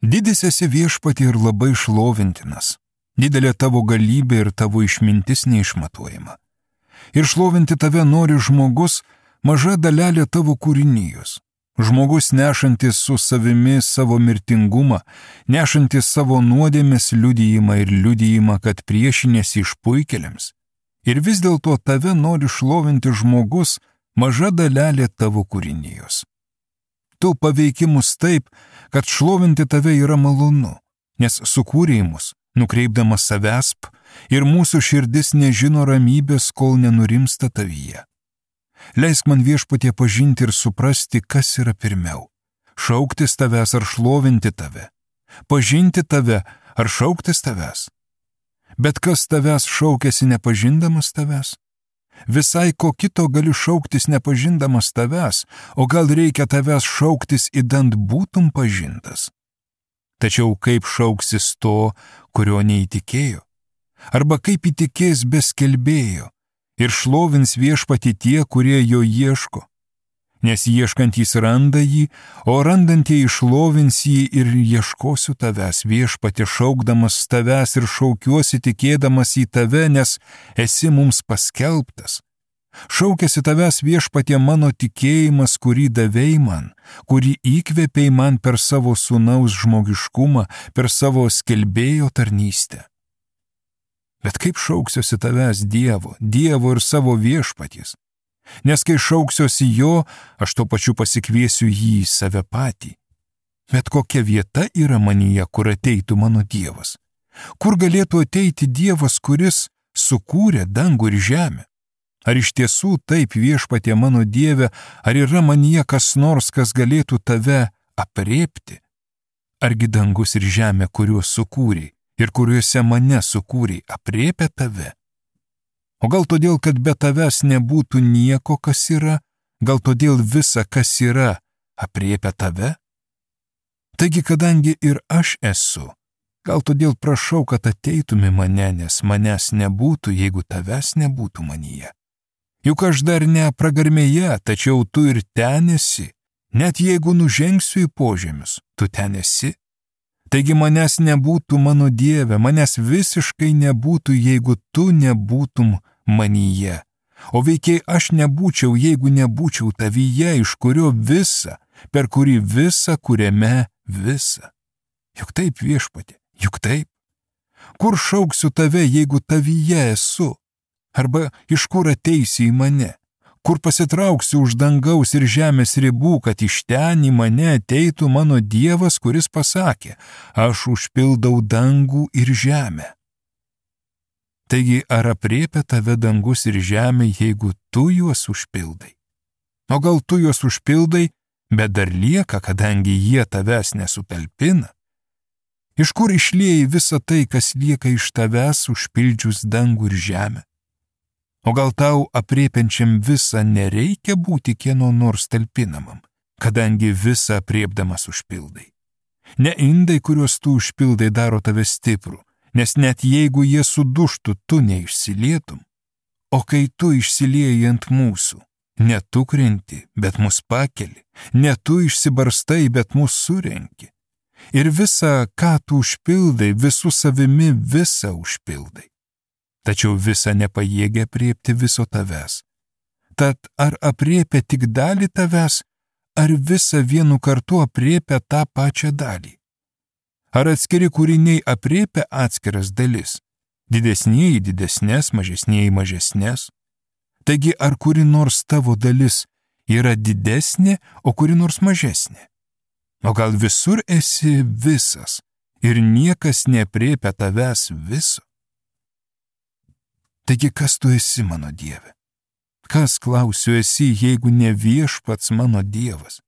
Didis esi Viešpatie ir labai šlovintinas. Didelė tavo galybė ir tavo išmintis neišmatuojama. Ir šlovinti tave nori žmogus, maža dalelė tavo kūrinijos. Žmogus nešantis su savimi savo mirtingumą, nešantis savo nuodėmės liudijimą ir liudijimą, kad priešinėsi išpuikėliams. Ir vis dėlto tave nori šlovinti žmogus, maža dalelė tavo kūrinijos. Tu paveiki mus taip, kad šlovinti tave yra malonu, nes sukūrei mus, nukreipdamas savęs, ir mūsų širdis nežino ramybės, kol nenurimsta tavyje. Leisk man Viešpatie pažinti ir suprasti, kas yra pirmiau - šauktis tavęs ar šlovinti tave, pažinti tave ar šauktis tavęs. Bet kas tavęs šaukėsi nepažindamas tavęs? Visai ko kito gali šauktis nepažindamas tavęs, o gal reikia tavęs šauktis idant būtum pažintas. Tačiau kaip šauksis to, kurio neįtikėjo? Arba kaip įtikės be skelbėjo ir šlovins Viešpatį tie, kurie jo ieško? Nes ieškantys randa jį, o randantieji šlovins jį ir ieškosiu tavęs, Viešpatie, šaukdamas tavęs ir šaukiuosi tikėdamas į tave, nes esi mums paskelbtas. Šaukėsi tavęs, Viešpatie, mano tikėjimas, kurį davei man, kurį įkvėpei man per savo sūnaus žmogiškumą, per savo skelbėjo tarnystę. Bet kaip šauksiuosi tavęs Dievo ir savo Viešpaties? Nes kai šauksiuosi jo, aš tuo pačiu pasikviesiu jį į save patį. Bet kokia vieta yra manyje, kur ateitų mano Dievas? Kur galėtų ateiti Dievas, kuris sukūrė dangų ir žemę? Ar iš tiesų taip, Viešpatie mano Dieve, ar yra manyje kas nors, kas galėtų tave aprėpti? Argi dangus ir žemė, kuriuos sukūrei ir kuriuose mane sukūrei, aprėpia tave? O gal todėl, kad be tavęs nebūtų nieko, kas yra, gal todėl visa, kas yra, aprėpia tave? Taigi, kadangi ir aš esu, gal todėl prašau, kad ateitumi mane, nes manęs nebūtų, jeigu tavęs nebūtų manyje. Juk aš dar ne pragarmėje, tačiau tu ir ten esi, net jeigu nužengsiu į požemius, tu ten esi. Taigi manęs nebūtų, mano Dieve, manęs visiškai nebūtų, jeigu tu nebūtum manyje. O veikiai aš nebūčiau, jeigu nebūčiau tavyje, iš kurio visa, per kurį visa, kuriame visa. Juk taip, Viešpatie, juk taip. Kur šauksiu tave, jeigu tavyje esu? Arba iš kur ateisi į mane? Kur pasitrauksiu už dangaus ir žemės ribų, kad iš ten į mane ateitų mano Dievas, kuris pasakė, aš užpildau dangų ir žemę. Taigi, ar aprėpia tave dangus ir žemė, jeigu tu juos užpildai? O gal tu juos užpildai, bet dar lieka, kadangi jie tavęs nesutalpina? Iš kur išlieji visą tai, kas lieka iš tavęs užpildžius dangų ir žemę? O gal tau aprėpiančiam visą nereikia būti kieno nors talpinamam, kadangi visą aprėpdamas užpildai? Ne indai, kuriuos tu užpildai, daro tave stiprų, nes net jeigu jie suduštų, tu neišsilietum. O kai tu išsilieji ant mūsų, ne tu krenti, bet mus pakeli, ne tu išsibarstai, bet mus surenki. Ir visą, ką tu užpildai, visų savimi visą užpildai. Tačiau visa nepajėgia aprėpti viso tavęs. Tad ar aprėpia tik dalį tavęs, ar visa vienu kartu aprėpia tą pačią dalį? Ar atskiri kūriniai aprėpia atskiras dalis? Didesnieji didesnės, mažesnieji mažesnės? Taigi ar kuri nors tavo dalis yra didesnė, o kuri nors mažesnė? O gal visur esi visas ir niekas neaprėpia tavęs viso? Taigi kas tu esi, mano Dieve? Kas, klausiu, esi, jeigu ne Viešpats mano Dievas?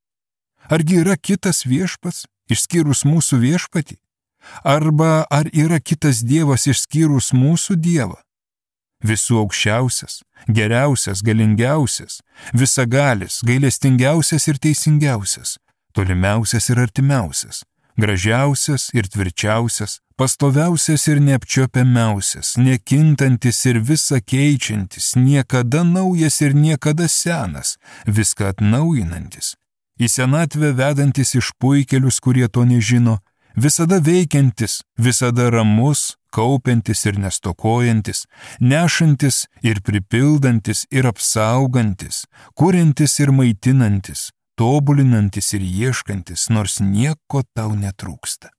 Argi yra kitas Viešpats, išskyrus mūsų Viešpatį? Arba ar yra kitas Dievas išskyrus mūsų Dievą? Visų aukščiausias, geriausias, galingiausias, visagalis, gailestingiausias ir teisingiausias, tolimiausias ir artimiausias, gražiausias ir tvirčiausias, pastoviausias ir neapčiuopiamiausias, nekintantis ir visa keičiantis, niekada naujas ir niekada senas, viską atnaujinantis, į senatvę vedantis išpuikėlius, kurie to nežino, visada veikiantis, visada ramus, kaupiantis ir nestokojantis, nešantis ir pripildantis ir apsaugantis, kuriantis ir maitinantis, tobulinantis ir ieškantis, nors nieko tau netrūksta.